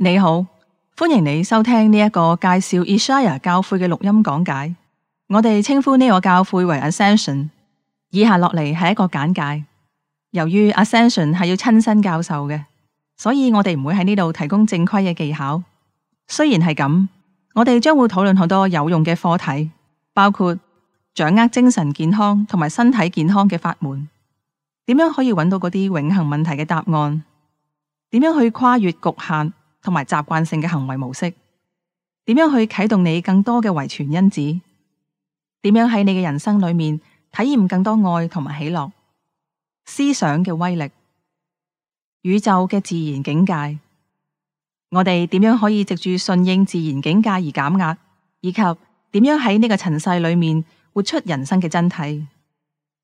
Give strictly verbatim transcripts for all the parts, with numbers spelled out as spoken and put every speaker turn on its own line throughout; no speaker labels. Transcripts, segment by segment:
你好，歡迎你收聽呢一個介紹 Isaiah 教誨嘅錄音講解。我哋稱呼呢個教誨為 Ascension。以下落嚟係一個簡介。由於 Ascension 係要親身教授嘅，所以我哋唔會喺呢度提供正規嘅技巧。雖然係咁，我哋將會討論好多有用嘅課題，包括掌握精神健康同埋身體健康嘅法門，點樣可以揾到嗰啲永恆問題嘅答案，點樣去跨越局限同埋習慣性嘅行為模式，點樣去啟動你更多嘅遺傳因子，點樣喺你嘅人生裏面體驗更多愛同埋喜樂，思想嘅威力，宇宙嘅自然境界，我哋點樣可以藉住順應自然境界而減壓，以及點樣喺呢個塵世裏面活出人生嘅真諦。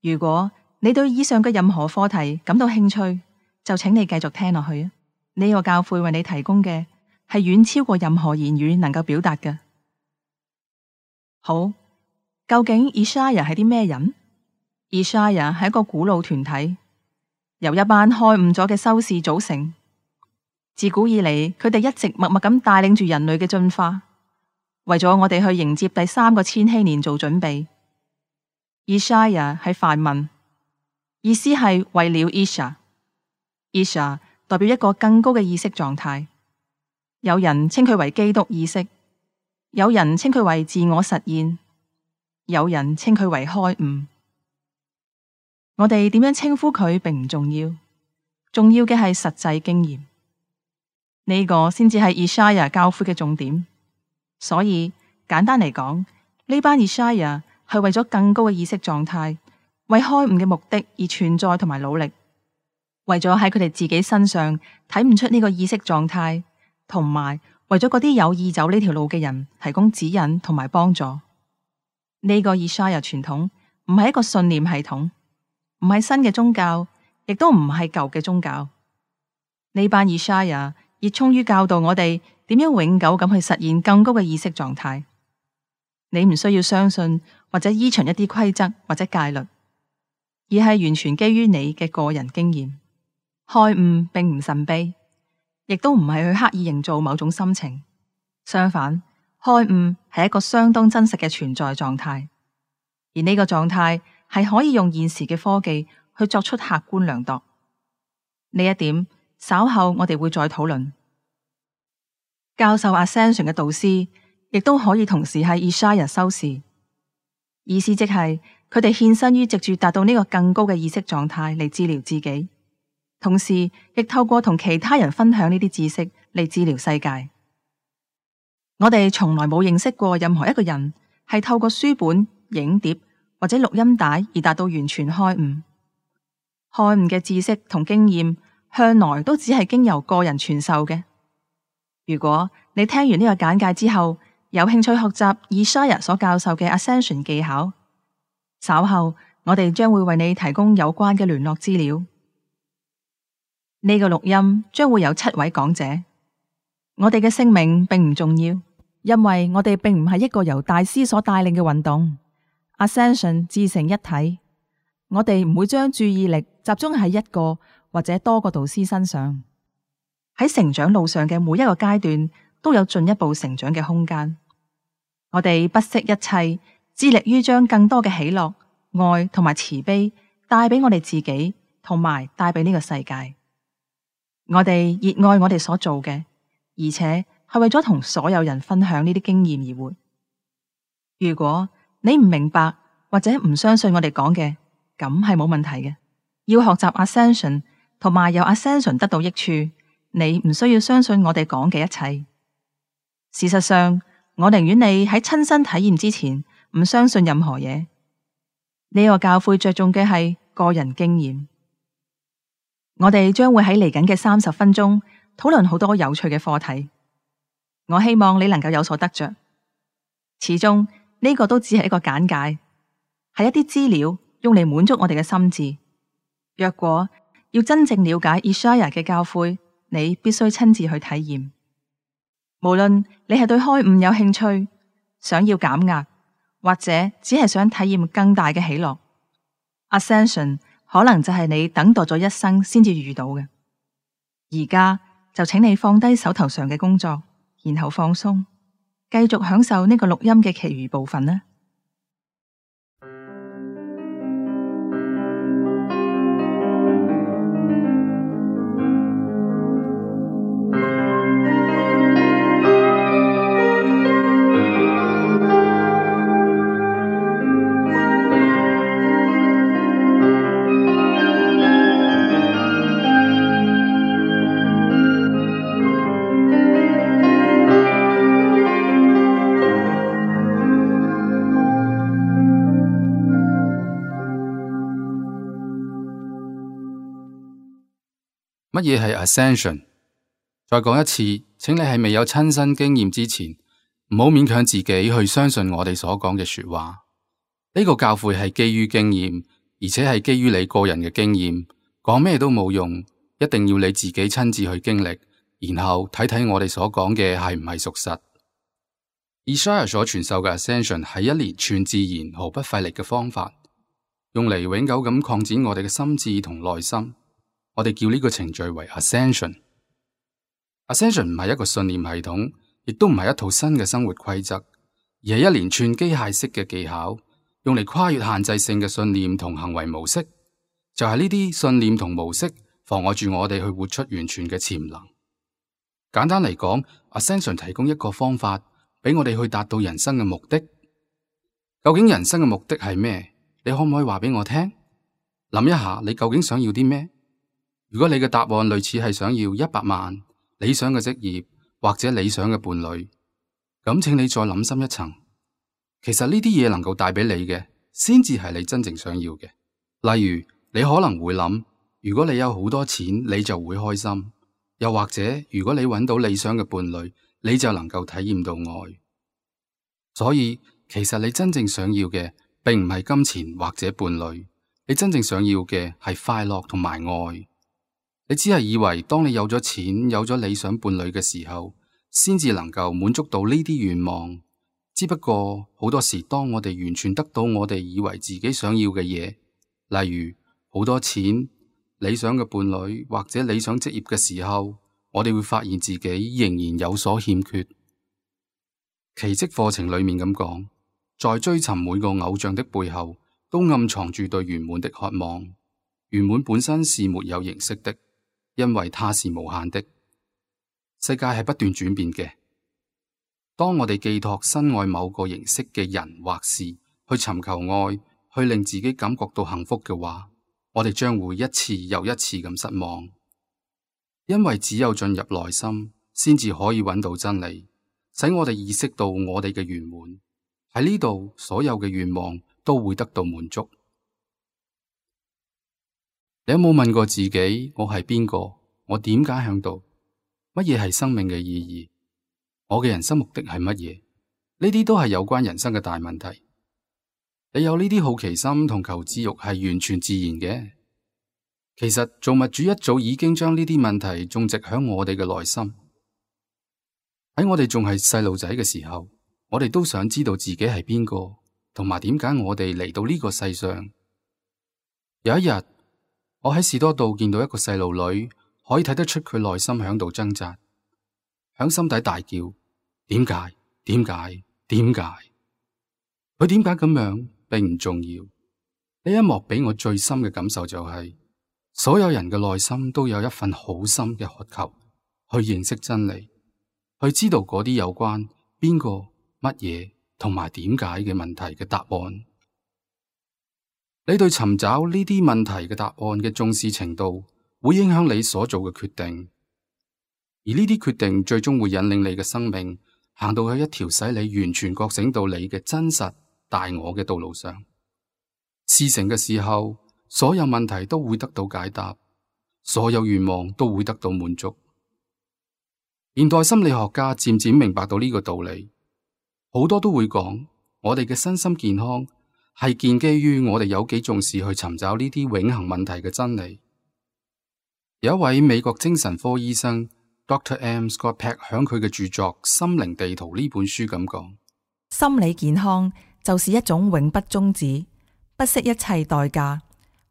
如果你對以上嘅任何課題感到興趣，就請你繼續聽落去啊！呢個教誨為你提供嘅係遠超過任何言語能夠表達嘅。好，究竟 Isaiah 係啲咩人？ Isaiah 係一個古老團體，由一班開悟咗嘅修士組成。自古以嚟，佢哋一直默默咁帶領住人類嘅進化，為咗我哋去迎接第三個千禧年做準備。Isaiah 係梵文，意思係為了 Isha。Isha 代表一個更高嘅意識狀態，有人稱佢為基督意識，有人稱佢為自我實現，有人稱佢為開悟。我哋點樣稱呼佢並唔重要，重要嘅係實際經驗，呢個先至係 Isaiah 教誨嘅重點。所以簡單嚟講，呢班 Isaiah 係為咗更高嘅意識狀態，為開悟嘅目的而存在同埋努力。為咗喺佢哋自己身上睇唔出呢個意識狀態，同埋為咗嗰啲有意走呢條路嘅人提供指引同埋幫助。呢個 Isaiah 傳統唔係一個信念系統，唔係新嘅宗教，亦都唔係舊嘅宗教。呢班 Isaiah 熱衷於教導我哋點樣永久咁去實現更高嘅意識狀態。你唔需要相信或者依循一啲規則或者戒律，而係完全基於你嘅個人經驗。開悟並唔神秘，亦都唔係去刻意營造某種心情。相反，開悟係一個相當真實嘅存在狀態，而呢個狀態係可以用現時嘅科技去作出客觀量度。呢一點稍後我哋會再討論。教授 Ascension 嘅導師亦都可以同時係 Isaiah 修士，意思即係佢哋獻身於藉住達到呢個更高嘅意識狀態嚟治療自己。同時，亦透過同其他人分享呢啲知識嚟治療世界。我哋從來冇認識過任何一個人係透過書本、影碟或者錄音帶而達到完全開悟。開悟嘅知識同經驗向來都只係經由個人傳授嘅。如果你聽完呢個簡介之後，有興趣學習 Isaiah 所教授嘅 Ascension 技巧，稍後我哋將會為你提供有關嘅聯絡資料。呢個錄音將會有七位講者，我哋嘅姓名並唔重要，因為我哋並唔係一個由大師所帶領嘅運動。Ascension 自成一體，我哋唔會將注意力集中喺一個或者多個導師身上。喺成長路上嘅每一個階段都有進一步成長嘅空間。我哋不惜一切，致力於將更多嘅喜樂、愛同埋慈悲帶俾我哋自己，同埋帶俾呢個世界。我哋熱愛我哋所做嘅，而且係為咗同所有人分享呢啲經驗而活。如果你唔明白或者唔相信我哋講嘅，咁係冇問題嘅。要學習 Ascension 同埋由 Ascension 得到益處，你唔需要相信我哋講嘅一切。事實上，我寧願你喺親身體驗之前唔相信任何嘢。呢個教誨着重嘅係個人經驗。我哋將會喺嚟緊嘅三十分鐘討論好多有趣嘅課題，我希望你能夠有所得着。始終呢個都只係一個簡介，係一啲資料用嚟滿足我哋嘅心智。若果要真正了解 Isaiah 嘅教誨，你必須親自去體驗。無論你係對開悟有興趣，想要減壓，或者只係想體驗更大嘅喜樂， Ascension 可能就係你等待咗一生先至遇到嘅。而家就請你放低手頭上嘅工作，然後放鬆，繼續享受呢個錄音嘅其餘部分啦。
乜嘢係 Ascension？ 再講一次，請你喺未有親身經驗之前，唔好勉強自己去相信我哋所講嘅說話。呢個教誨係基於經驗，而且係基於你個人嘅經驗，講咩都冇用，一定要你自己親自去經歷，然後睇睇我哋所講嘅係唔係屬實。Isaiah 所傳授嘅 Ascension 係一連串自然毫不費力嘅方法，用嚟永久咁擴展我哋嘅心智同內心。我哋叫呢個程序為 Ascension。Ascension 唔係一個信念系統，亦都唔係一套新嘅生活規則，而係一連串機械式嘅技巧，用嚟跨越限制性嘅信念同行為模式。就係呢啲信念同模式妨礙住我哋去活出完全嘅潛能。簡單嚟講， Ascension 提供一個方法俾我哋去達到人生嘅目的。究竟人生嘅目的係咩？你可唔可以話俾我聽？諗一下，你究竟想要啲咩？如果你嘅答案類似係想要一百萬、理想嘅職業或者理想嘅伴侶，咁請你再諗深一層。其實呢啲嘢能夠帶俾你嘅，先至係你真正想要嘅。例如，你可能會諗，如果你有好多錢，你就會開心；又或者，如果你揾到理想嘅伴侶，你就能夠體驗到愛。所以，其實你真正想要嘅，並唔係金錢或者伴侶，你真正想要嘅係快樂同埋愛。你只係以為當你有咗錢、有咗理想伴侶嘅時候，先至能夠滿足到呢啲願望。只不過好多時，當我哋完全得到我哋以為自己想要嘅嘢，例如好多錢、理想嘅伴侶或者理想職業嘅時候，我哋會發現自己仍然有所欠缺。奇蹟課程裏面咁講，在追尋每個偶像的背後，都暗藏住對圓滿的渴望。圓滿本身是沒有形式的，因為它是無限的。世界係不斷轉變嘅。當我哋寄託深愛某個形式嘅人或事，去尋求愛，去令自己感覺到幸福嘅話，我哋將會一次又一次咁失望。因為只有進入內心，先至可以揾到真理，使我哋意識到我哋嘅圓滿。喺呢度，所有嘅願望都會得到滿足。你有冇問過自己，我係邊個？我點解喺度？乜嘢係生命嘅意義？我嘅人生目的係乜嘢？呢啲都係有關人生嘅大問題。你有呢啲好奇心同求知欲係完全自然嘅。其實造物主一早已經將呢啲問題種植響我哋嘅內心。喺我哋仲係細路仔嘅時候，我哋都想知道自己係邊個，同埋點解我哋嚟到呢個世上。有一日，我喺士多道見到一個細路女，可以睇得出佢內心響度掙扎，響心底大叫：點解？點解？點解？佢點解咁樣並唔重要。呢一幕俾我最深嘅感受就係，所有人嘅內心都有一份好深嘅渴求，去認識真理，去知道嗰啲有關邊個、乜嘢同埋點解嘅問題嘅答案。你對尋找呢啲問題嘅答案嘅重視程度，會影響你所做嘅決定，而呢啲決定最終會引領你嘅生命行到去一條使你完全覺醒到你嘅真實大我嘅道路上。事成嘅時候，所有問題都會得到解答，所有願望都會得到滿足。現代心理學家漸漸明白到呢個道理，好多都會講，我哋嘅身心健康係建基於我哋有幾重視去尋找呢啲永恆問題嘅真理。有一位美國精神科醫生 Doctor M. Scott Peck 響佢嘅著作《心靈地圖》呢本書咁講：
心理健康就是一種永不終止、不惜一切代價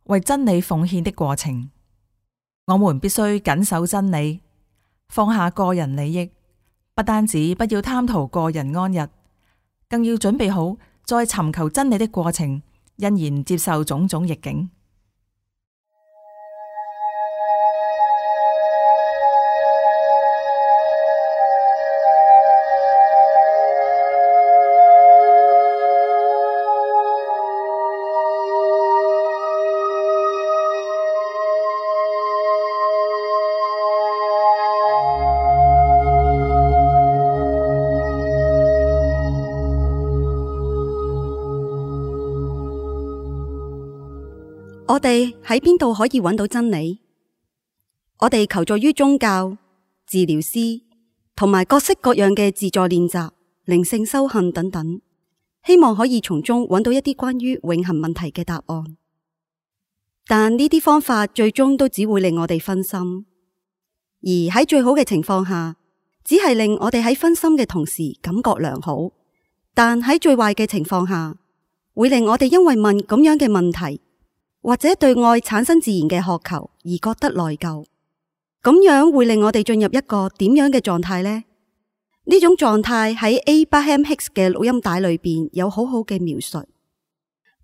為真理奉獻的過程。我們必須謹守真理，放下個人利益，不單止不要貪圖個人安逸，更要準備好在尋求真理的過程，欣然接受種種逆境。
我哋喺邊度可以揾到真理？我哋求助於宗教、治療師同埋各式各樣嘅自助練習、靈性修行等等，希望可以從中揾到一啲關於永恆問題嘅答案。但呢啲方法最終都只會令我哋分心，而喺最好嘅情況下，只係令我哋喺分心嘅同時感覺良好。但喺最壞嘅情況下，會令我哋因為問咁樣嘅問題，或者對愛產生自然嘅渴求而覺得內疚，咁樣會令我哋進入一個點樣嘅狀態呢？呢種狀態喺 Abraham Hicks 嘅錄音帶裏邊有好好嘅描述。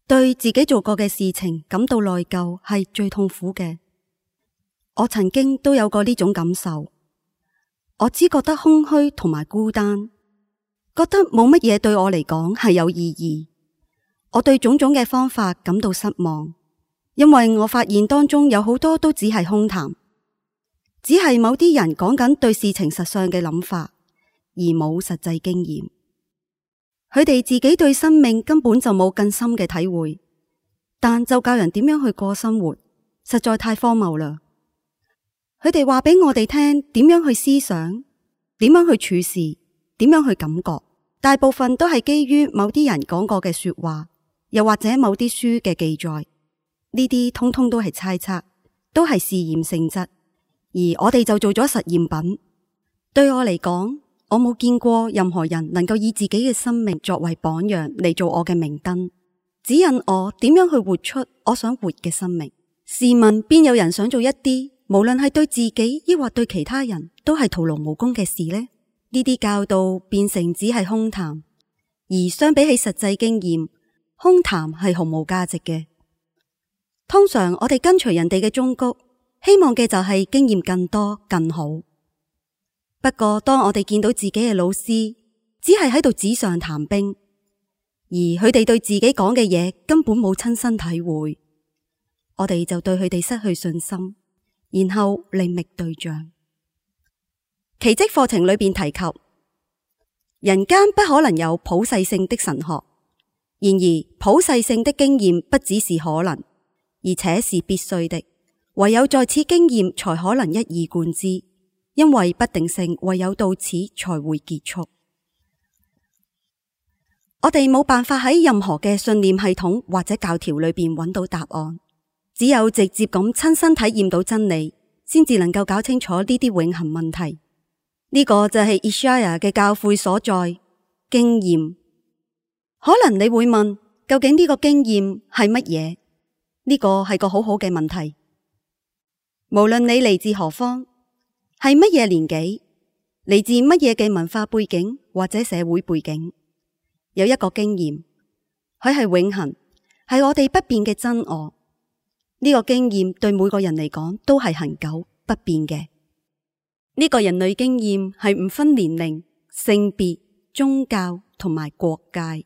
對自己做過嘅事情感到內疚係最痛苦嘅。我曾經都有過呢種感受，我只覺得空虛同埋孤單，覺得冇乜嘢對我嚟講係有意義。我對種種嘅方法感到失望。因為我發現當中有好多都只係空談，只係某啲人講緊對事情實相嘅諗法，而冇實際經驗。佢哋自己對生命根本就冇更深嘅體會，但就教人點樣去過生活，實在太荒謬啦。佢哋話俾我哋聽點樣去思想，點樣去處事，點樣去感覺，大部分都係基於某啲人講過嘅說話，又或者某啲書嘅記載。呢啲通通都係猜測，都係試驗性質，而我哋就做咗實驗品。對我嚟講，我冇見過任何人能夠以自己嘅生命作為榜樣嚟做我嘅明燈，指引我點樣去活出我想活嘅生命。試問邊有人想做一啲無論係對自己抑或對其他人都係徒勞無功嘅事呢？呢啲教導變成只係空談，而相比起實際經驗，空談係毫無價值嘅。通常我哋跟隨人哋嘅忠告，希望嘅就係經驗更多更好。不過當我哋見到自己嘅老師只係喺度紙上談兵，而佢哋對自己講嘅嘢根本冇親身體會，我哋就對佢哋失去信心，然後另覓對象。奇蹟課程裏邊提及，人間不可能有普世性的神學，然而普世性的經驗不只是可能，而且是必須的，唯有在此經驗才可能一以貫之，因為不定性唯有到此才會結束。我哋冇辦法喺任何嘅信念系統或者教條裏邊揾到答案，只有直接咁親身體驗到真理，先至能夠搞清楚呢啲永恆問題。呢個就係 Ishaya 嘅教誨所在，經驗。可能你會問，究竟呢個經驗係乜嘢？呢個係個好好嘅問題。無論你嚟自何方，係乜嘢年紀，嚟自乜嘢嘅文化背景或者社會背景，有一個經驗，佢係永恆，係我哋不變嘅真我。呢個經驗對每個人嚟講都係恆久不變嘅。呢個人類經驗係唔分年齡、性別、宗教同埋國界。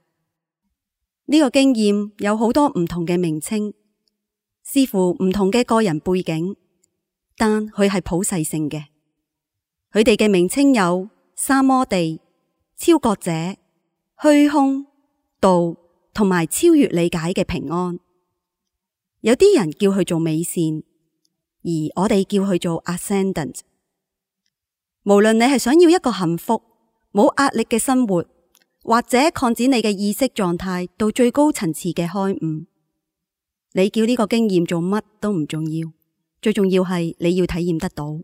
呢個經驗有好多唔同嘅名稱，視乎唔同嘅個人背景，但佢係普世性嘅。佢哋嘅名稱有三摩地、超覺者、虛空、道同埋超越理解嘅平安。有啲人叫佢做美善，而我哋叫佢做 ascendant。無論你係想要一個幸福、冇壓力嘅生活，或者擴展你嘅意識狀態到最高層次嘅開悟，你叫呢個經驗做乜都唔重要，最重要係你要體驗得到。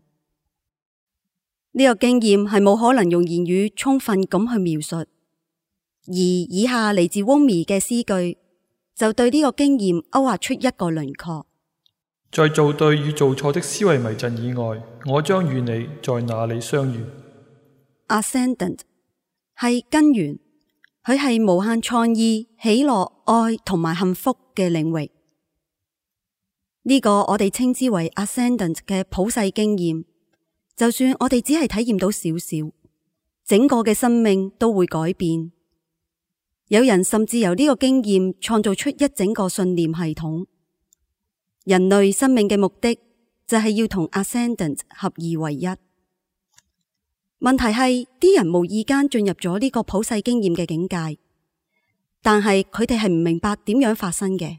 呢個經驗係冇可能用言語充分咁去描述，而以下嚟自 Rumi 嘅詩句就對呢個經驗勾畫出一個輪廓。
在做對與做錯的思維迷陣以外，我將與你在哪裏相遇。
Ascendant 係根源，佢係無限創意、喜樂、愛同埋幸福嘅領域。呢、這個我哋稱之為 Ascendant 嘅普世經驗。就算我哋只係體驗到少少，整個嘅生命都會改變。有人甚至由呢個經驗創造出一整個信念系統。人類生命嘅目的就係要同 Ascendant 合二為一。問題係啲人無意間進入咗呢個普世經驗嘅境界，但係佢哋係唔明白點樣發生嘅。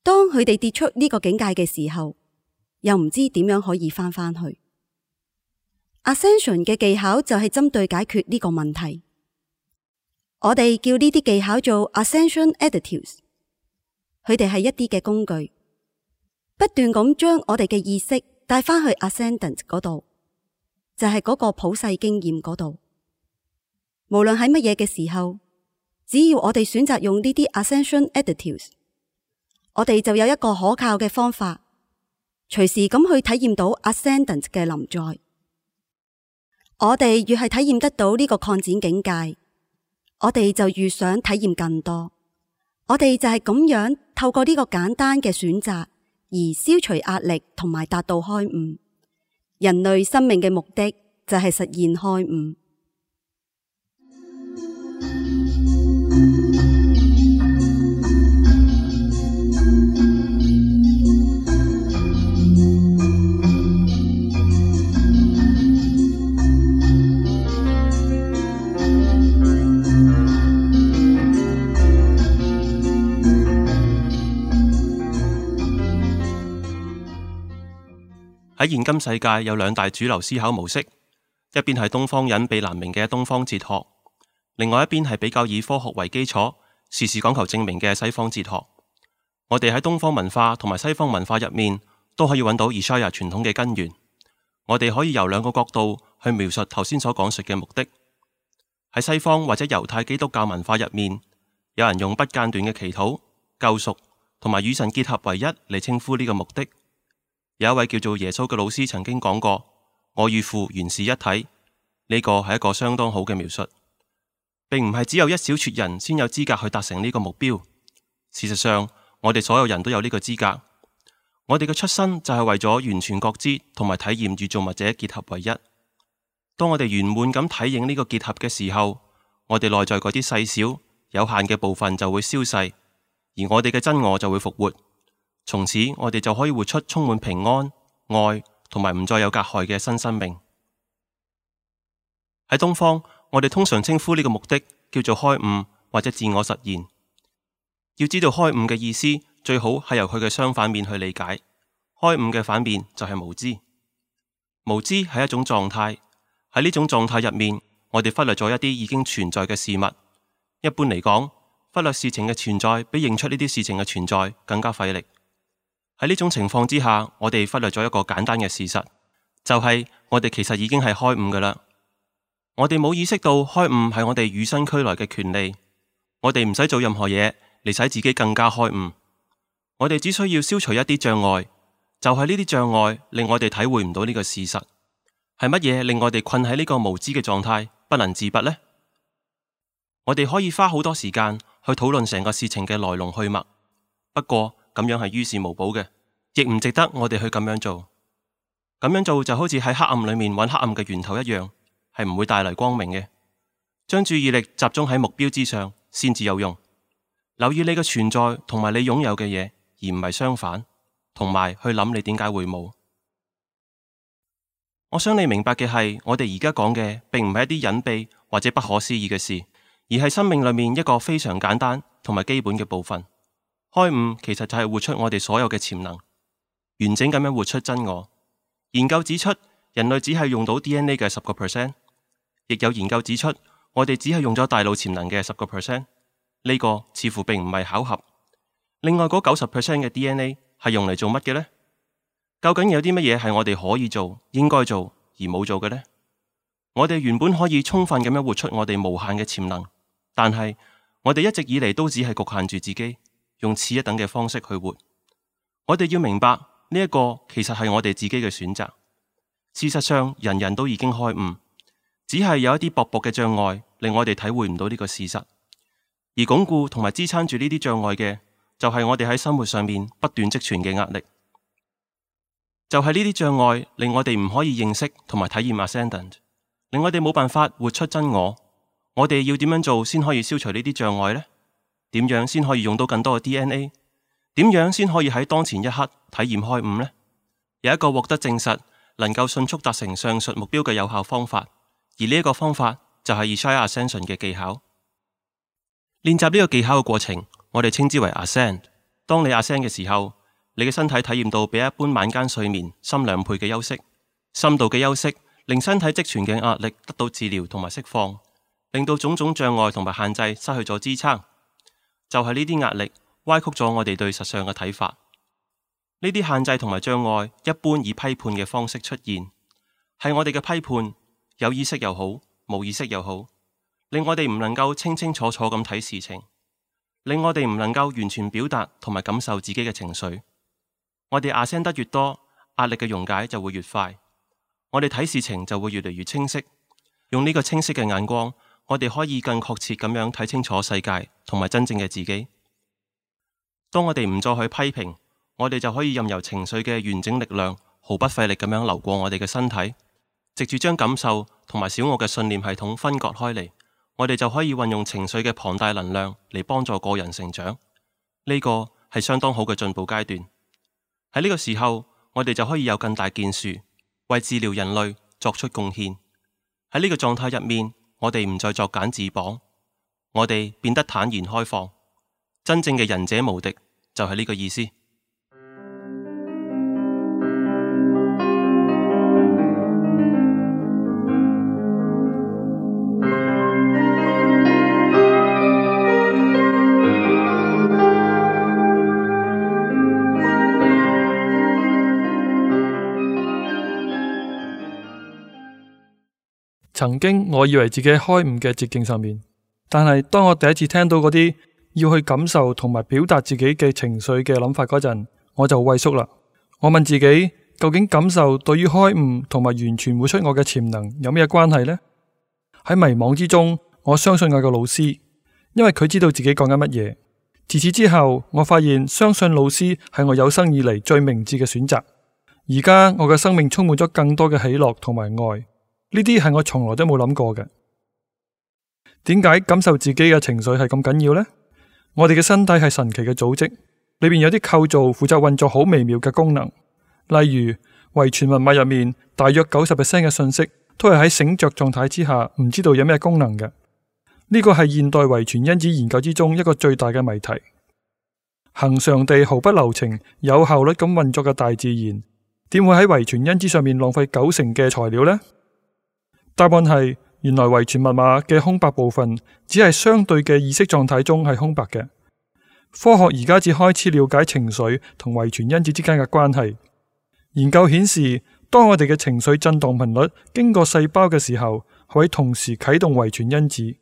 當佢哋跌出呢個境界嘅時候，又唔知點樣可以翻返去。Ascension 嘅技巧就係針對解決呢個問題。我哋叫呢啲技巧做 Ascension Additives。佢哋係一啲嘅工具，不斷咁將我哋嘅意識帶返去 Ascendant 嗰度，就係嗰個普世經驗嗰度。無論喺乜嘢嘅時候，只要我哋選擇用呢啲 Ascension Additives， 我哋就有一個可靠嘅方法，隨時咁去體驗到 Ascendant 嘅臨在。我哋越係體驗得到呢個擴展境界，我哋就越想體驗更多。我哋就係咁樣透過呢個簡單嘅選擇而消除壓力同埋達到開悟。人類生命嘅目的就係實現開悟。
喺現今世界有兩大主流思考模式，一邊係東方隱秘難明嘅東方哲學，另外一邊係比較以科學為基礎，時時講求證明嘅西方哲學。我哋喺東方文化同埋西方文化入面都可以揾到 Ishaya 傳統嘅根源。我哋可以由兩個角度去描述頭先所講述嘅目的。喺西方或者猶太基督教文化入面，有人用不間斷嘅祈禱、救贖同埋與神結合為一嚟稱呼呢個目的。有一位叫做耶穌嘅老師曾經講過，我與父原是一體，呢個係一個相當好嘅描述，並唔係只有一小撮人先有資格去達成呢個目標。事實上，我哋所有人都有呢個資格。我哋嘅出生就係為咗完全覺知同埋體驗與造物者結合為一。當我哋圓滿咁體驗呢個結合嘅時候，我哋內在嗰啲細小有限嘅部分就會消逝，而我哋嘅真我就會復活。從此我哋就可以活出充滿平安、愛同埋唔再有隔害嘅新生命。喺東方，我哋通常稱呼呢個目的叫做開悟或者自我實現。要知道開悟嘅意思，最好係由佢嘅相反面去理解。開悟嘅反面就係無知。無知係一種狀態，喺呢種狀態入面，我哋忽略咗一啲已經存在嘅事物。一般嚟講，忽略事情嘅存在比認出呢啲事情嘅存在更加費力。喺呢種情況之下，我哋忽略咗一個簡單嘅事實，就係我哋其實已經係開悟㗎喇。我哋冇意識到開悟係我哋與生俱來嘅權利，我哋唔使做任何嘢嚟使自己更加開悟。我哋只需要消除一啲障礙，就係呢啲障礙令我哋體會唔到呢個事實。係乜嘢令我哋困喺呢個無知嘅狀態，不能自拔呢？我哋可以花好多時間去討論成個事情嘅來龍去脈，不過咁樣係於事無補嘅，亦唔值得我哋去咁樣做。咁樣做就好似喺黑暗裏面揾黑暗嘅源頭一樣，係唔會帶嚟光明嘅。將注意力集中喺目標之上，先至有用。留意你嘅存在同埋你擁有嘅嘢，而唔係相反，同埋去諗你點解會冇。我想你明白嘅係，我哋而家講嘅並唔係一啲隱秘或者不可思議嘅事，而係生命裏面一個非常簡單同埋基本嘅部分。開悟其實就係活出我哋所有嘅潛能，完整咁樣活出真我。研究指出，人類只係用到 D N A 嘅十個 percent， 亦有研究指出，我哋只係用咗大腦潛能嘅十個 percent。呢個似乎並唔係巧合。另外嗰九十 percent 嘅 D N A 係用嚟做乜嘅呢？究竟有啲乜嘢係我哋可以做、應該做而冇做嘅呢？我哋原本可以充分咁樣活出我哋無限嘅潛能，但係我哋一直以嚟都只係局限住自己，用次一等嘅方式去活。我哋要明白呢一個其實係我哋自己嘅選擇。事實上，人人都已經開悟，只係有一啲薄薄嘅障礙令我哋體會唔到呢個事實。而鞏固同埋支撐住呢啲障礙嘅，就係我哋喺生活上面不斷積存嘅壓力。就係呢啲障礙令我哋唔可以認識同埋體驗 Ascendant， 令我哋冇辦法活出真我。我哋要點樣做先可以消除呢啲障礙呢？點樣先可以用到更多嘅 D N A？ 點樣先可以喺當前一刻體驗開悟呢？有一個獲得證實能夠迅速達成上述目標嘅有效方法，而呢一個方法就係 Ishaya Ascension 嘅技巧。練習呢個技巧嘅過程，我哋稱之為 Ascend。當你 Ascend 嘅時候，你嘅身體體驗到比一般晚間睡眠深兩倍嘅休息，深度嘅休息令身體積存嘅壓力得到治療同埋釋放，令到種種障礙同埋限制失去咗支撐。就係呢啲壓力歪曲咗我哋對實相嘅睇法。呢啲限制同埋障礙一般以批判嘅方式出現，係我哋嘅批判，有意識又好，冇意識又好，令我哋唔能夠清清楚楚咁睇事情，令我哋唔能夠完全表達同埋感受自己嘅情緒。我哋 Ascend 得越多，壓力嘅溶解就會越快，我哋睇事情就會越嚟越清晰。用呢個清晰嘅眼光，我哋可以更確切咁樣睇清楚世界同埋真正嘅自己。當我哋唔再去批評，我哋就可以任由情緒嘅完整力量毫不費力咁樣流過我哋嘅身體，藉住將感受同埋小我嘅信念系統分割開嚟，我哋就可以運用情緒嘅龐大能量嚟幫助個人成長。呢個係相當好嘅進步階段。喺呢個時候，我哋就可以有更大建樹，為治療人類作出貢獻。喺呢個狀態入面，我哋唔再作繭自綁，我哋變得坦然開放。真正嘅仁者無敵，就係呢個意思。
曾經我以為自己喺開悟嘅捷徑上面，但係當我第一次聽到嗰啲要去感受同埋表達自己嘅情緒嘅諗法嗰陣，我就畏縮啦。我問自己，究竟感受對於開悟同埋完全活出我嘅潛能有咩關係呢？喺迷惘之中，我相信我個老師，因為佢知道自己講緊乜嘢。自此之後，我發現相信老師係我有生以嚟最明智嘅選擇。而家我嘅生命充滿咗更多嘅喜樂同埋愛。呢啲係我從來都冇諗過嘅。點解感受自己嘅情緒係咁緊要呢？我哋嘅身體係神奇嘅組織，裏面有啲構造負責運作好微妙嘅功能。例如遺傳密碼入面，大約九十 percent 嘅信息都係喺醒着狀態之下，唔知道有咩功能嘅。呢個係現代遺傳因子研究之中一個最大嘅謎題。恒常地毫不留情、有效率咁運作嘅大自然，點會喺遺傳因子上面浪費九成嘅材料呢？答案係，原來遺傳密碼嘅空白部分只係相對嘅意識狀態中係空白嘅。科學而家只開始了解情緒同遺傳因子之間嘅關係。研究顯示，當我哋嘅情緒震動頻率經過細胞嘅時候，可以同時啟動遺傳因子。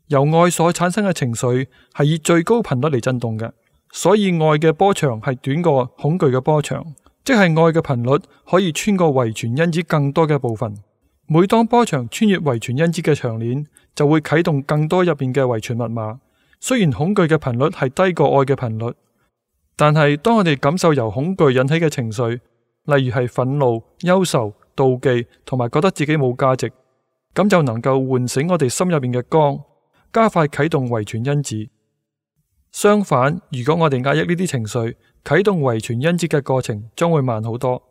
由愛所產生嘅情緒係以最高頻率嚟震動嘅，所以愛嘅波長係短過恐懼嘅波長，即係愛嘅頻率可以穿過遺傳因子更多嘅部分。每當波長穿越遺傳因子嘅長鏈，就會啟動更多入邊嘅遺傳密碼。雖然恐懼嘅頻率係低過愛嘅頻率，但係當我哋感受由恐懼引起嘅情緒，例如係憤怒、憂愁、妒忌同埋覺得自己冇價值，咁就能夠喚醒我哋心入邊嘅光，加快啟動遺傳因子。相反，如果我哋壓抑呢啲情緒，啟動遺傳因子嘅過程將會慢好多。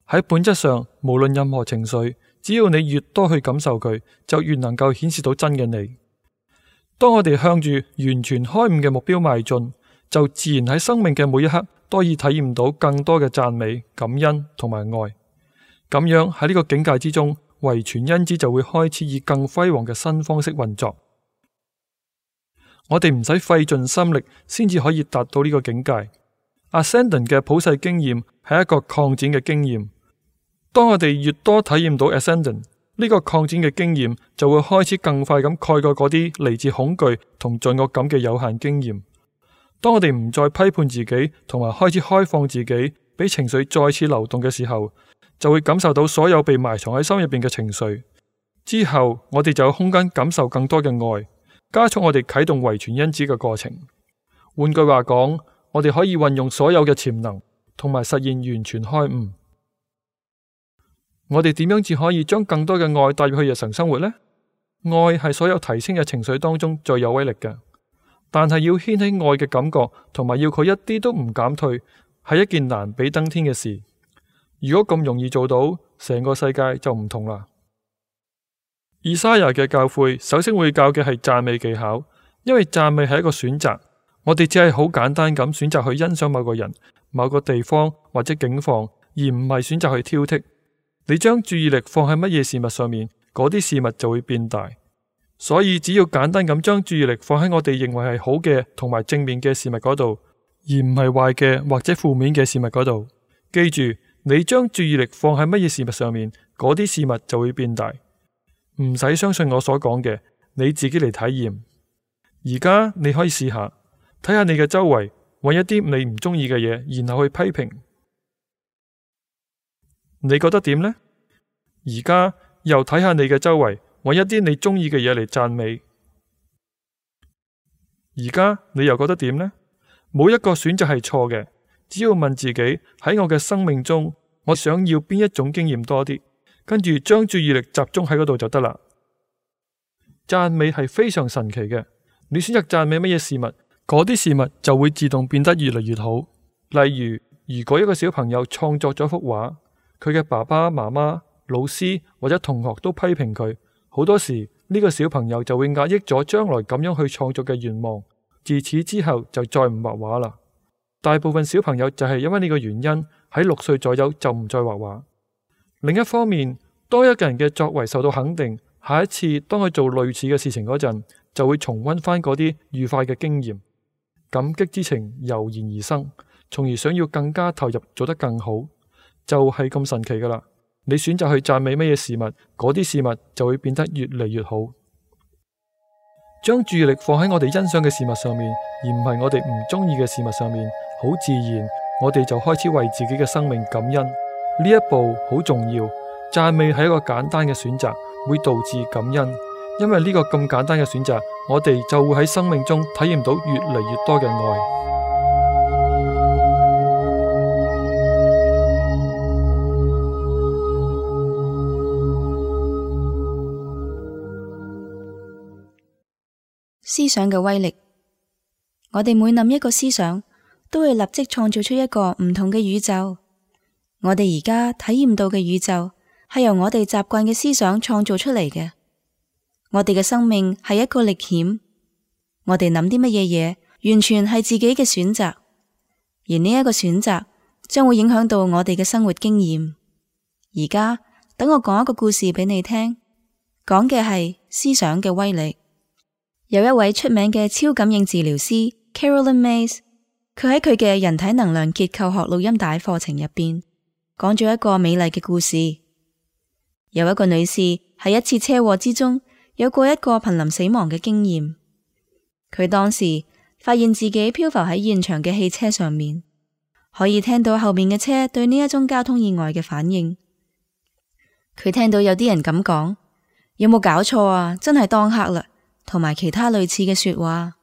喺本質上，無論任何情緒，只要你越多去感受佢，就越能夠顯示到真嘅你。當我哋向住完全開悟嘅目標邁進，就自然喺生命嘅每一刻都可以體驗到更多嘅讚美、感恩同埋愛。咁樣喺呢個境界之中，遺傳因子就會開始以更輝煌嘅新方式運作。我哋唔使費盡心力先至可以達到呢個境界。Ascendant 嘅普世經驗係一個擴展嘅經驗。當我哋越多體驗到 Ascendant， 呢個擴展嘅經驗就會開始更快咁蓋過嗰啲嚟自恐懼同罪惡感嘅有限經驗。當我哋唔再批判自己，同埋開始開放自己，俾情緒再次流動嘅時候，就會感受到所有被埋藏喺心入邊嘅情緒。之後我哋就有空間感受更多嘅愛，加速我哋啟動遺傳因子嘅過程。換句話講，我哋可以運用所有嘅潛能，同埋實現完全開悟。我哋點樣至可以將更多嘅愛帶入去日常生活呢？愛係所有提升嘅情緒當中最有威力嘅，但係要掀起愛嘅感覺，同埋要佢一啲都唔減退，係一件難比登天嘅事。如果咁容易做到，成個世界就唔同啦。以賽亞嘅教誨首先會教嘅係讚美技巧，因為讚美係一個選擇，我哋只係好簡單咁選擇去欣賞某個人、某個地方或者境況，而唔係選擇去挑剔。你將注意力放喺乜嘢事物上面，嗰啲事物就會變大。所以只要簡單咁將注意力放喺我哋認為係好嘅同埋正面嘅事物嗰度，而唔係壞嘅或者負面嘅事物嗰度。記住，你將注意力放喺乜嘢事物上面，嗰啲事物就會變大。唔使相信我所講嘅，你自己嚟體驗。而家你可以試下，睇下你嘅周圍，揾一啲你唔中意嘅嘢，然後去批評。你覺得點呢？而家又睇下你嘅周圍，揾一啲你中意嘅嘢嚟讚美。而家你又覺得點呢？冇一個選擇係錯嘅，只要問自己，喺我嘅生命中，我想要邊一種經驗多啲，跟住將注意力集中喺嗰度就得啦。讚美係非常神奇嘅，你選擇讚美乜嘢事物，嗰啲事物就會自動變得越嚟越好。例如，如果一個小朋友創作咗幅畫，佢嘅爸爸媽媽、老師或者同學都批評佢，好多時呢個小朋友就會壓抑咗將來咁樣去創作嘅願望，自此之後就再唔畫畫啦。大部分小朋友就係因為呢個原因，喺六歲左右就唔再畫畫。另一方面，當一個人嘅作為受到肯定，下一次當佢做類似嘅事情嗰陣，就會重溫翻嗰啲愉快嘅經驗，感激之情油然而生，從而想要更加投入，做得更好。就係咁神奇噶啦！你選擇去讚美乜嘢事物，嗰啲事物就會變得越嚟越好。將注意力放喺我哋欣賞嘅事物上面，而唔係我哋唔中意嘅事物上面，好自然，我哋就開始為自己嘅生命感恩。呢一步好重要。讚美係一個簡單嘅選擇，會導致感恩，因為呢個咁簡單嘅選擇，我哋就會喺生命中體驗到越嚟越多嘅愛。
思想嘅威力，我哋每諗一個思想，都會立即創造出一個唔同嘅宇宙。我哋而家體驗到嘅宇宙，係由我哋習慣嘅思想創造出嚟嘅。我哋嘅生命係一個歷險，我哋諗啲乜嘢嘢，完全係自己嘅選擇，而呢一個選擇將會影響到我哋嘅生活經驗。而家等我講一個故事俾你聽，講嘅係思想嘅威力。有一位出名嘅超感應治療師 Carolyn Myss， 佢喺佢嘅人體能量結構學錄音帶課程入邊講咗一個美麗嘅故事。有一個女士喺一次車禍之中有過一個瀕臨死亡嘅經驗，佢當時發現自己漂浮喺現場嘅汽車上面，可以聽到後面嘅車對呢一宗交通意外嘅反應。佢聽到有啲人咁講：有冇搞錯啊？真係當黑啦！同埋其他類似嘅說話。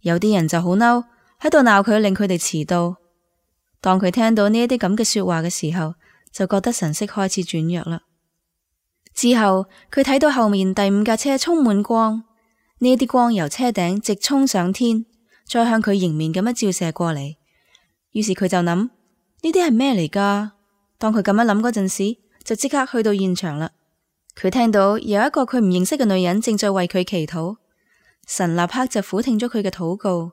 有啲人就好嬲，喺度鬧佢，令佢哋遲到。當佢聽到呢一啲咁嘅說話嘅時候，就覺得神色開始轉弱啦。之後佢睇到後面第五架車充滿光，呢一啲光由車頂直衝上天，再向佢迎面咁樣照射過嚟。於是佢就諗，呢啲係咩嚟噶？當佢咁樣諗嗰陣時，就即刻去到現場啦。佢聽到有一個佢唔認識嘅女人正在為佢祈禱，神立刻就俯聽咗佢嘅禱告，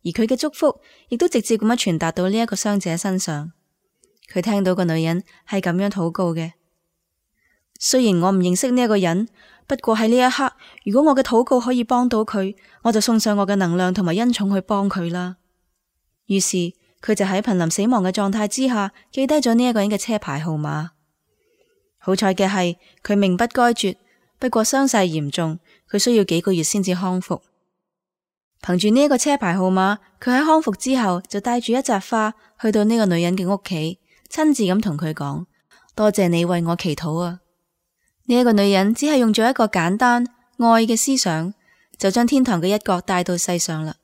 而佢嘅祝福亦都直接咁樣傳達到呢一個傷者身上。佢聽到個女人係咁樣禱告嘅：雖然我唔認識呢一個人，不過喺呢一刻，如果我嘅禱告可以幫到佢，我就送上我嘅能量同埋恩寵去幫佢啦。於是佢就喺瀕臨死亡嘅狀態之下，記低咗呢一個人嘅車牌號碼。好彩嘅係，佢命不該絕，不過傷勢嚴重，佢需要幾個月先至康復。憑住呢一個車牌號碼，佢喺康復之後就帶住一扎花去到呢個女人嘅屋企，親自咁同佢講：多謝你為我祈禱啊！呢一個女人只係用咗一個簡單愛嘅思想，就將天堂嘅一角帶到世上啦。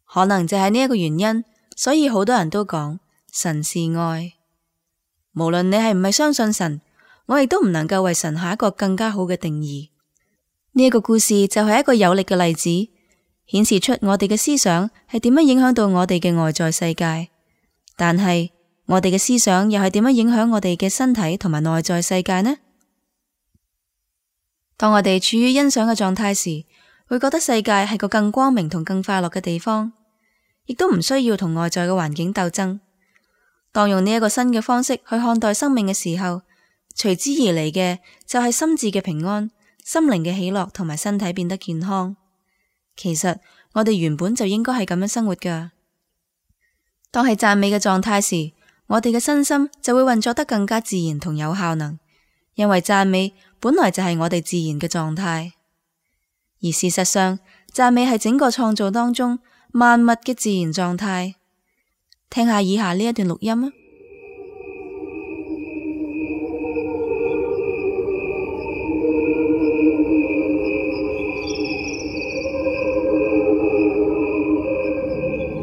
可能就係呢一個原因，所以好多人都講神是愛。無論你係唔係相信神，我亦都唔能夠為神下一個更加好嘅定義。呢一個故事就係一個有力嘅例子，顯示出我哋嘅思想係點樣影響到我哋嘅外在世界，但係我哋嘅思想又係點樣影響我哋嘅身體同埋內在世界呢？當我哋處於欣賞嘅狀態時，會覺得世界係個更光明同更快樂嘅地方，亦都唔需要同外在嘅環境鬥爭。當用呢一個新嘅方式去看待生命嘅時候，隨之而嚟嘅就係心智嘅平安、心靈嘅喜樂同埋身體變得健康。其實我哋原本就應該係咁樣生活㗎。當係讚美嘅狀態時，我哋嘅身心就會運作得更加自然同有效能，因為讚美本來就係我哋自然嘅狀態。而事實上，讚美係整個創造當中萬物嘅自然狀態。聽下以下呢一段錄音啊！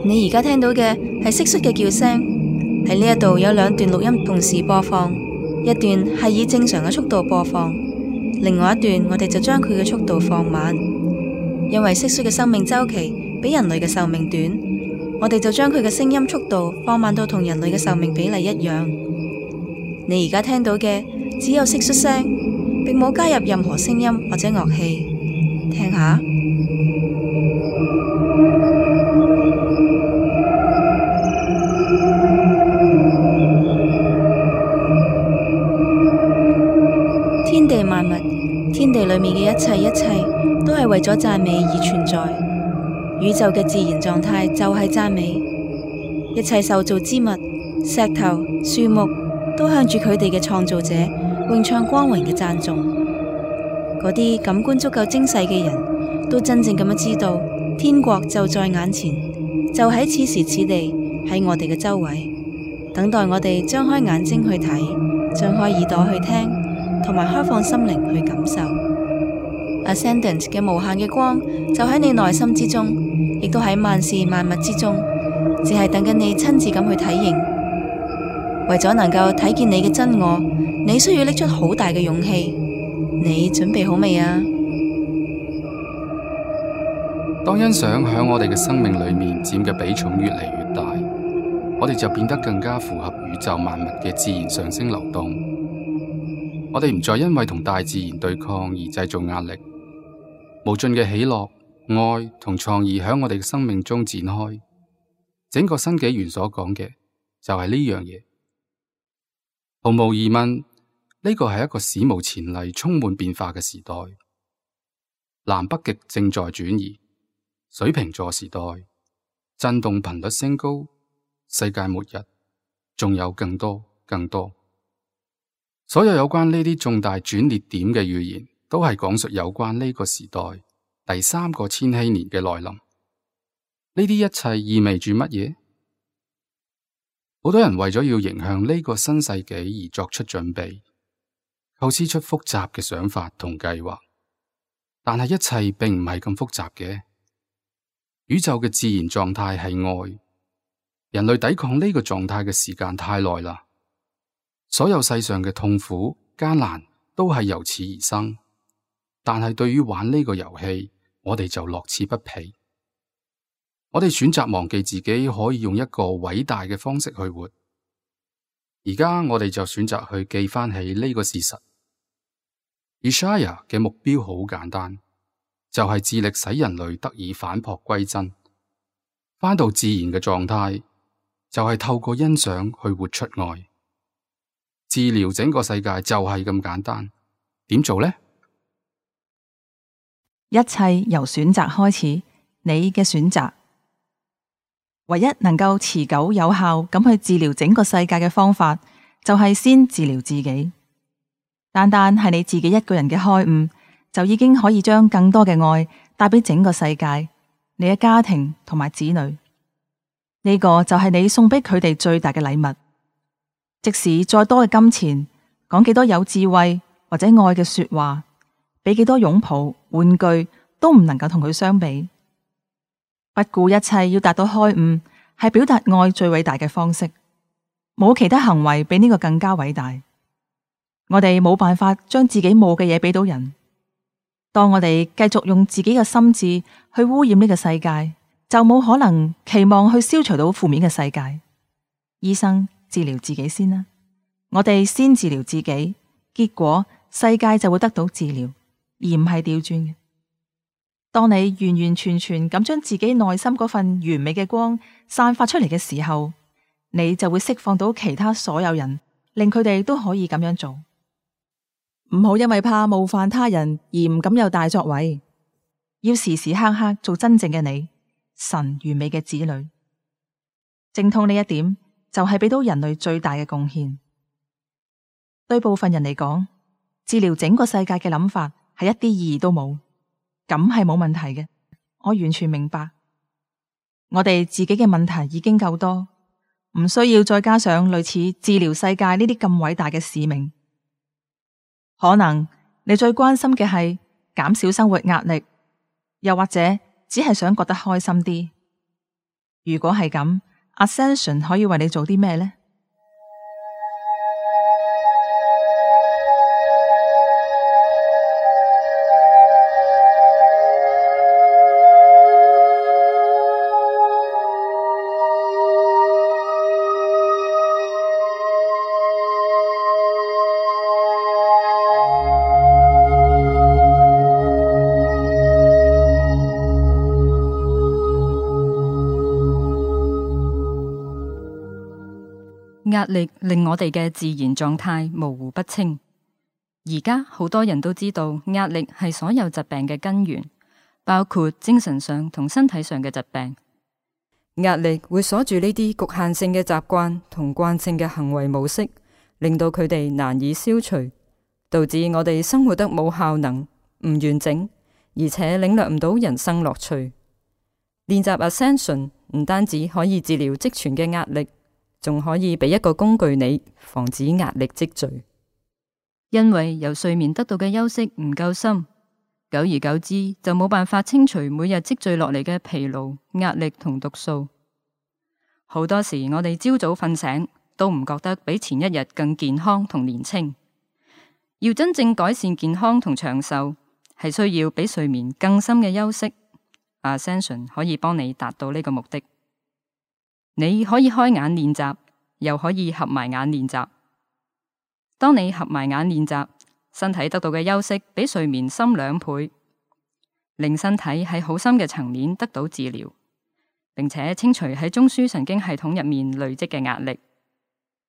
你而家聽到嘅係蟋蟀嘅叫聲，喺呢一度有兩段錄音同時播放，一段係以正常嘅速度播放，另外一段我哋就將佢嘅速度放慢，因為蟋蟀嘅生命週期比人類嘅壽命短，我哋就將佢嘅聲音速度放慢到同人類嘅壽命比例一樣。你而家聽到嘅只有蟋蟀聲，並冇加入任何聲音或者樂器，聽下。天地萬物，天地裏面嘅一切一切都係為咗讚美而存在。宇宙嘅自然狀態就係讚美。一切受造之物、石頭、樹木都向住佢哋嘅創造者詠唱光榮嘅讚頌。嗰啲感官足夠精細嘅人都真正咁樣知道，天國就在眼前，就喺此時此地，喺我哋嘅周圍，等待我哋張開眼睛去睇，張開耳朵去聽，同埋開放心靈去感受。Ascendant 嘅無限嘅光就喺你內心之中，亦都喺萬事萬物之中，只係等緊你親自咁去體驗。為咗能夠睇見你嘅真我，你需要拎出好大嘅勇氣。你準備好未啊？
當欣賞喺我哋嘅生命裏面佔嘅比重越嚟越大，我哋就變得更加符合宇宙萬物嘅自然上升流動。我哋唔再因為同大自然對抗而製造壓力，無盡嘅喜樂、愛同創意喺我哋嘅生命中展開。整個新紀元所講嘅就係呢樣嘢。毫無疑問，呢個係一個史無前例、充滿變化嘅時代。南北極正在轉移，水瓶座時代，震動頻率升高，世界末日，仲有更多更多。所有有關呢啲重大轉捩點嘅預言，都係講述有關呢個時代第三個千禧年嘅來臨。呢啲一切意味住乜嘢？好多人為咗要迎向呢個新世紀而作出準備，構思出複雜嘅想法同計劃。但係一切並唔係咁複雜嘅。宇宙嘅自然狀態係愛，人類抵抗呢個狀態嘅時間太耐啦。所有世上嘅痛苦、艱難都係由此而生。但係對於玩呢個遊戲，我哋就樂此不疲。我哋選擇忘記自己可以用一個偉大嘅方式去活。而家我哋就選擇去記翻起呢個事實。Ishaya 嘅目標好簡單，就係致力使人類得以返璞歸真，翻到自然嘅狀態，就係透過欣賞去活出愛。治療整個世界就係咁簡單，點做呢？
一切由選擇開始，你嘅選擇。唯一能夠持久有效咁去治療整個世界嘅方法，就係先治療自己。單單係你自己一個人嘅開悟，就已經可以將更多嘅愛帶俾整個世界，你嘅家庭同埋子女。呢個就係你送俾佢哋最大嘅禮物。即使再多嘅金錢，講幾多有智慧或者愛嘅說話，俾幾多擁抱、玩具，都唔能夠同佢相比。不顧一切要達到開悟，係表達愛最偉大嘅方式。冇其他行為比呢個更加偉大。我哋冇辦法將自己冇嘅嘢俾到人。當我哋繼續用自己嘅心智去污染呢個世界，就冇可能期望去消除到負面嘅世界。醫生，治療自己先啦，我哋先治療自己，結果世界就會得到治療，而唔係調轉嘅。當你完完全全咁將自己內心嗰份完美嘅光散發出嚟嘅時候，你就會釋放到其他所有人，令佢哋都可以咁樣做。唔好因為怕冒犯他人而唔敢有大作為，要時時刻刻做真正嘅你，神完美嘅子女。精通呢一點就係俾到人類最大嘅貢獻。對部分人嚟講，治療整個世界嘅諗法係一啲意義都冇，咁係冇問題嘅。我完全明白，我哋自己嘅問題已經夠多，唔需要再加上類似治療世界呢啲咁偉大嘅使命。可能你最關心嘅係減少生活壓力，又或者只係想覺得開心啲。如果係咁，Ascension 可以為你做啲咩呢？
壓力令我哋嘅自然狀態模糊不清。而家好多人都知道壓力係所有疾病嘅根源，包括精神上同身體上嘅疾病。
壓力會鎖住呢啲局限性嘅習慣同慣性嘅行為模式，令到佢哋難以消除，導致我哋生活得冇效能、唔完整，而且領略唔到人生樂趣。練習 Ascension 唔單止可以治療積存嘅壓力，仲可以俾一個工具你，防止壓力積聚。
因為由睡眠得到嘅休息唔夠深，久而久之就冇辦法清除每日積聚落嚟嘅疲勞、壓力同毒素。好多時我哋朝早瞓醒都唔覺得比前一日更健康同年輕。要真正改善健康同長壽，係需要比睡眠更深嘅休息。Ascension 可以幫你達到呢個目的。你可以開眼練習，又可以合埋眼練習。當你合埋眼練習，身體得到嘅休息比睡眠深兩倍，令身體喺好深嘅層面得到治療，並且清除喺中樞神經系統入面累積嘅壓力。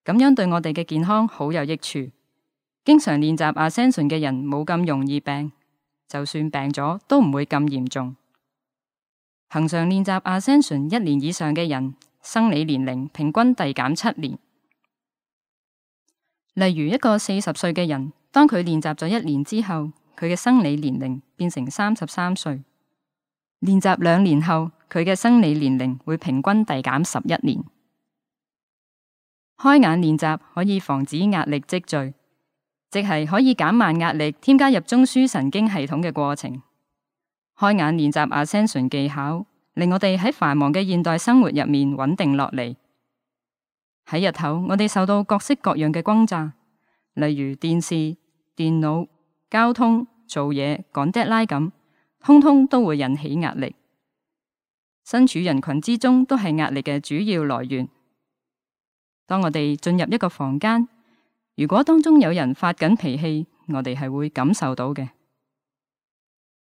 咁樣對我哋嘅健康好有益處。經常練習 Ascension 嘅人冇咁容易病，就算病咗都唔會咁嚴重。恆常練習 Ascension 一年以上嘅人，生理年齡平均遞減七年。例如一個四十歲嘅人，當佢練習咗一年之後，佢嘅生理年齡變成三十三歲。練習兩年後，佢嘅生理年齡會平均遞減十一年。開眼練習可以防止壓力積聚，即係可以減慢壓力添加入中樞神經系統嘅過程。開眼練習 Ascension 技巧，令我哋喺繁忙嘅現代生活入面穩定落嚟。喺日頭，我哋受到各式各樣嘅轟炸，例如電視、電腦、交通、做嘢、趕 deadline 咁，通通都會引起壓力。身處人群之中都係壓力嘅主要來源。當我哋進入一個房間，如果當中有人發緊脾氣，我哋係會感受到嘅。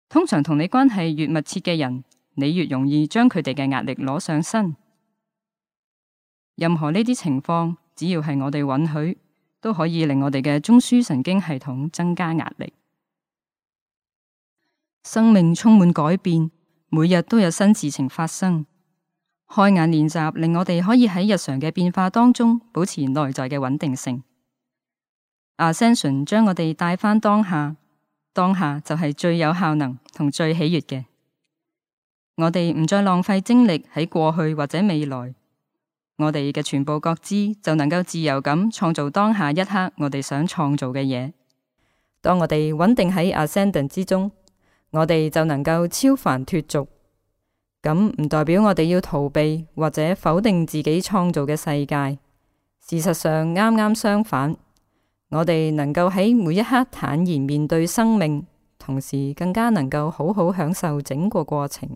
通常同你關係越密切嘅人，你越容易將佢哋嘅壓力攞上身。任何呢啲情況，只要係我哋允許，都可以令我哋嘅中樞神經系統增加壓力。生命充滿改變，每日都有新事情發生。開眼練習令我哋可以喺日常嘅變化當中保持內在嘅穩定性。Ascension 將我哋帶返當下，當下就係最有效能同最喜悅嘅。我哋唔再浪費精力喺過去或者未來，我哋嘅全部覺知就能夠自由咁創造當下一刻我哋想創造嘅嘢。
當我哋穩定喺 Ascendant 之中，我哋就能夠超凡脫俗。咁唔代表我哋要逃避或者否定自己創造嘅世界。事實上啱啱相反，我哋能夠喺每一刻坦然面對生命，同時更加能夠好好享受整個過程。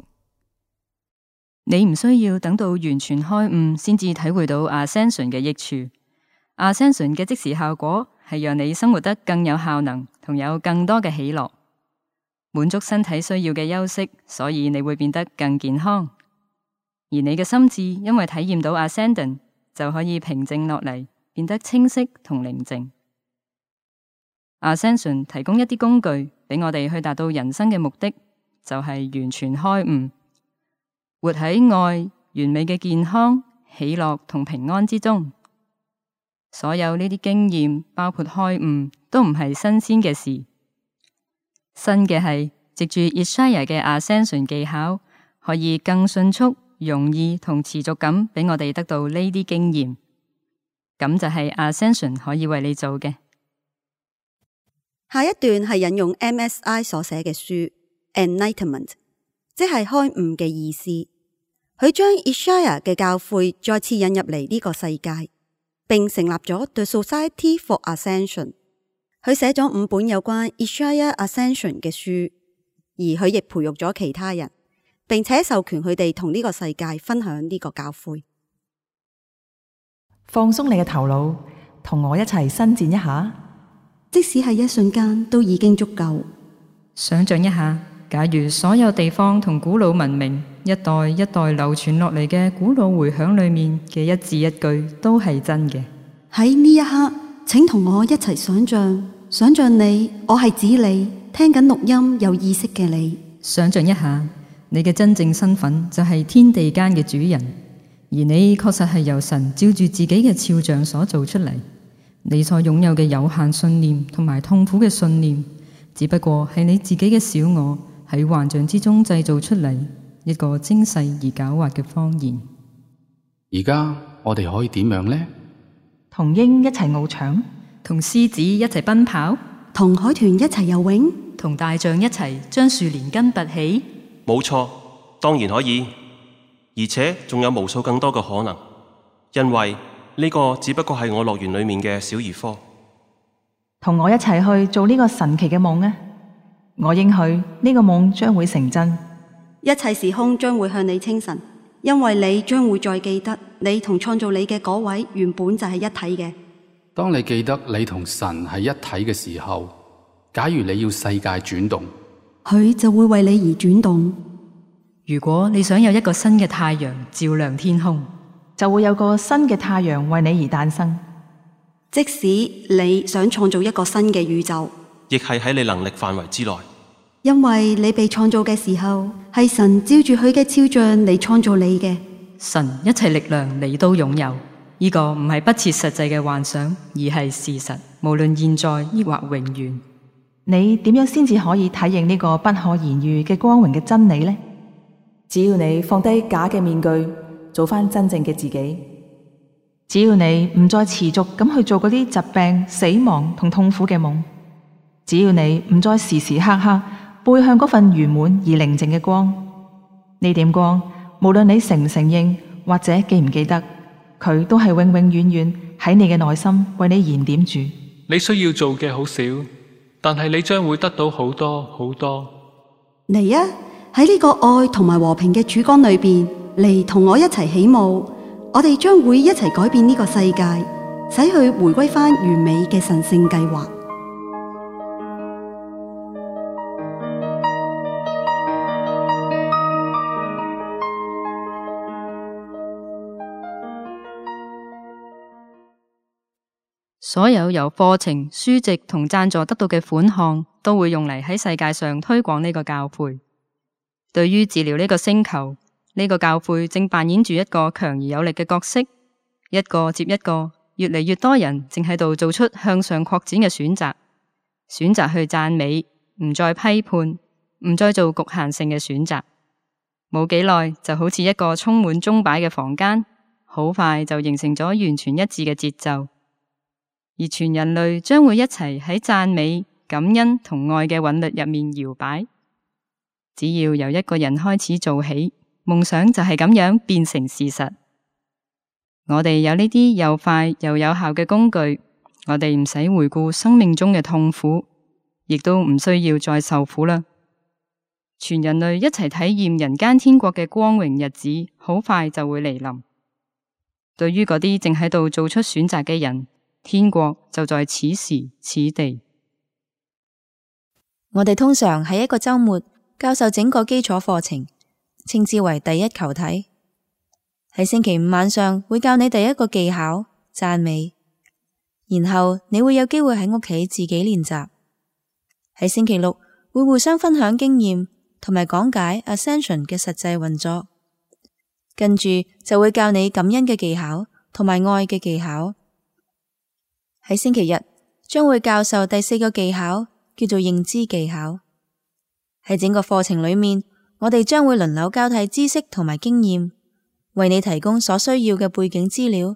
你唔需要等到完全開悟先至體會到 Ascension 嘅益處。Ascension 嘅即時效果係讓你生活得更有效能，同有更多嘅喜樂，滿足身體需要嘅休息，所以你會變得更健康。而你嘅心智因為體驗到 Ascendant， 就可以平靜落嚟，變得清晰同寧靜。Ascension 提供一啲工具俾我哋去達到人生嘅目的，就係完全開悟，活喺愛、完美嘅健康、喜樂同平安之中。所有呢啲經驗，包括開悟，都唔係新鮮嘅事。新嘅係藉住 Ishaya 嘅 Ascension 技巧，可以更迅速、容易同持續咁俾我哋得到呢啲經驗。咁就係 Ascension 可以為你做嘅。
下一段係引用 M S I 所寫嘅書 Enlightenment， 即係開悟嘅意思。佢將 Ishaya 嘅教誨再次引入嚟呢個世界，並成立咗 The Society for Ascension。佢寫咗五本有關 Ishaya Ascension 嘅書，而佢亦培育咗其他人，並且授權佢哋同呢個世界分享呢個教誨。
放鬆你嘅頭腦，同我一齊伸展一下。
即使係一瞬間都已經足夠。
想象一下，假如所有地方同古老文明一代一代流傳落嚟嘅古老回響裏面嘅一字一句都係真嘅。
喺呢一刻，請同我一齊想象，想象你，我係指你，聽緊錄音有意識嘅你。
想象一下，你嘅真正身份就係天地間嘅主人，而你確實係由神照住自己嘅肖像所做出嚟。你所擁有嘅有限信念同埋痛苦嘅信念，只不過係你自己嘅小我喺幻象之中製造出嚟一個精細而狡猾嘅謊言。
而家我哋可以點樣呢？
同鷹一齊翱翔，
同獅子一齊奔跑，
同海豚一齊游泳，
同大象一齊將樹連根拔起。
冇錯，當然可以，而且仲有無數更多嘅可能，因為呢個只不過係我樂園裏面嘅小兒科。
同我一齊去做呢個神奇嘅夢啊！我應許呢個夢將會成真，
一切時空將會向你清晨，因為你將會再記得你同創造你嘅嗰位原本就係一體嘅。
當你記得你同神係一體嘅時候，假如你要世界轉動，
佢就會為你而轉動。
如果你想有一個新嘅太陽照亮天空，
就會有個新嘅太陽為你而誕生。
即使你想創造一個新嘅宇宙，
亦係喺你能力範圍之內。
因為你被創造嘅時候，係神照住佢嘅肖像嚟創造你嘅。
神一切力量你都擁有，呢個唔係不切實際嘅幻想，而係事實。無論現在抑或永遠，
你點樣先至可以體認呢個不可言喻嘅光榮嘅真理呢？只要你放低假嘅面具，做翻真正嘅自己。只要你唔再持續咁去做嗰啲疾病、死亡同痛苦嘅夢，只要你唔再時時刻刻背向嗰份圓滿而寧靜嘅光，呢點光，無論你承唔承認或者記唔記得，佢都係永永遠遠喺你嘅內心為你燃點住。
你需要做嘅好少，但係你將會得到好多好多。
嚟啊！喺呢個愛同埋和平嘅曙光裏邊，嚟同我一齊起舞。我哋將會一齊改變呢個世界，使佢回歸翻完美嘅神聖計劃。
所有由課程、書籍同贊助得到嘅款項，都會用嚟喺世界上推廣呢個教誨。對於治療呢個星球，呢個教誨正扮演住一個強而有力嘅角色，一個接一個，越嚟越多人正喺度做出向上擴展嘅選擇，選擇去讚美，唔再批判，唔再做局限性嘅選擇。冇幾耐就好似一個充滿鐘擺嘅房間，好快就形成咗完全一致嘅節奏。而全人類將會一齊喺讚美、感恩同愛嘅韻律入面搖擺。只要由一個人開始做起，夢想就係咁樣變成事實。我哋有呢啲又快又有效嘅工具，我哋唔使回顧生命中嘅痛苦，亦都唔需要再受苦啦。全人類一齊體驗人間天國嘅光榮日子，好快就會嚟臨。對於嗰啲正喺度做出選擇嘅人，天國就在此時此地。
我哋通常喺一個周末教授整個基礎課程，稱之為第一球體。喺星期五晚上會教你第一個技巧讚美，然後你會有機會喺屋企自己練習。喺星期六會互相分享經驗同埋講解 Ascension 嘅實際運作，跟住就會教你感恩嘅技巧同埋愛嘅技巧。喺星期日將會教授第四個技巧，叫做認知技巧。喺整個課程裏面，我哋將會輪流交替知識同埋經驗，為你提供所需要嘅背景資料，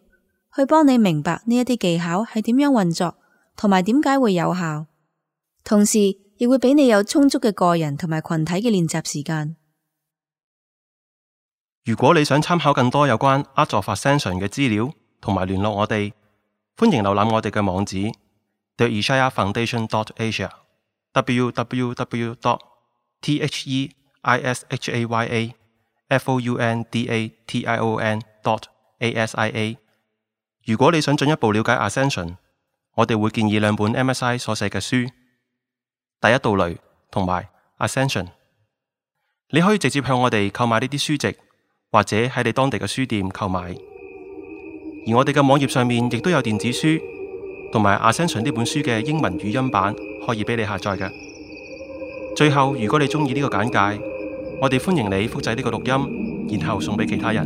去幫你明白呢一啲技巧係點樣運作，同埋點解會有效。同時亦會俾你有充足嘅個人同埋群體嘅練習時間。
如果你想參考更多有關 Art of Ascension 嘅資料，同埋聯絡我哋，歡迎瀏覽我哋嘅網址 the ishaya foundation dot asia w w w dot t h e i s h a y a f o u n d a t i o n dot a s i a。 如果你想進一步了解 Ascension， 我哋會建議兩本 M S I 所寫嘅書，第一道雷同埋 Ascension。 你可以直接向我哋購買呢啲書籍，或者喺你當地嘅書店購買。而我哋嘅網頁上面亦都有電子書同埋 Ascension 呢本書嘅英文語音版可以俾你下載嘅。最後，如果你中意呢個簡介，我哋歡迎你複製呢個錄音，然後送俾其他人。